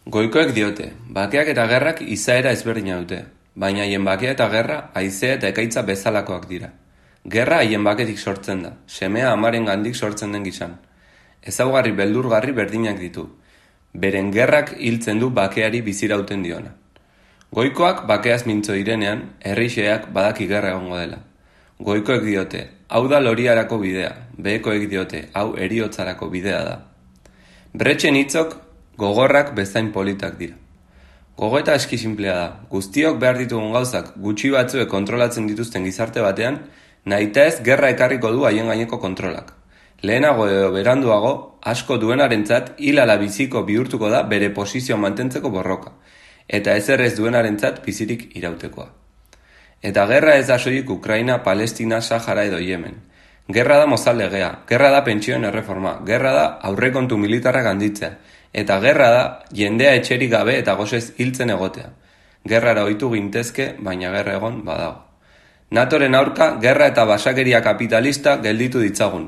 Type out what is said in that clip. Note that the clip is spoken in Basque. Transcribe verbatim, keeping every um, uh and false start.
Goikoek diote, bakeak eta gerrak izaera ezberdina dute, baina haien bakea eta gerra haizea eta ekaitza bezalakoak dira. Gerra haien baketik sortzen da, semea amaren gandik sortzen den gizan. Ezaugarri beldurgarri berdinak ditu. Beren gerrak hiltzen du bakeari bizirauten diona. Goikoak bakeaz mintzo direnean, herrixeak badaki gerra egongo dela. Goikoek diote, hau da loriarako bidea, behekoek diote, hau heriotzarako bidea da. Bretxen hitzok gogorrak bezain politak dira. Gogoeta eski sinplea da, guztiok behar ditugun gauzak gutxi batzuek kontrolatzen dituzten gizarte batean, nahita ez gerra ekarriko du haien gaineko kontrolak. Lehenago edo beranduago, asko duenarentzat hilala biziko bihurtuko da bere posizioa mantentzeko borroka, eta ezer ez duenarentzat bizirik irautekoa. Eta gerra ez da soilik Ukraina, Palestina, Sahara edo Yemen. Gerra da mozal legea, gerra da pentsioen erreforma, gerra da aurrekontu militarrak handitzea, eta gerra da jendea etxerik gabe eta gozez hiltzen egotea. Gerrara ohitu gintezke, baina gerra egon badago. NATOren aurka, gerra eta basakeria kapitalista gelditu ditzagun.